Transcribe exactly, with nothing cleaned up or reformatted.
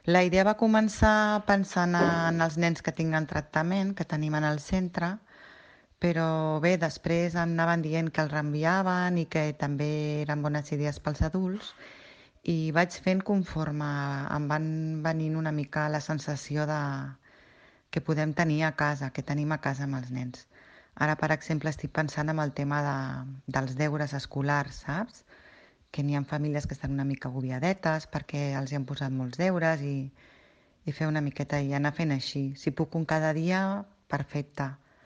La idea va començar pensant en els nens que tinguen tractament, que tenim en el centre, però bé, després em anaven dient que els reenviaven i que també eren bones idees pels adults i vaig fent conforme em van venint una mica la sensació de que podem tenir a casa, que tenim a casa amb els nens. Ara, per exemple, estic pensant en el tema de, dels deures escolars, saps? Que n'hi ha famílies que estan una mica agobiadetes perquè els hi han posat molts deures i, i fer una miqueta i anar fent així. Si puc un cada dia, perfecte.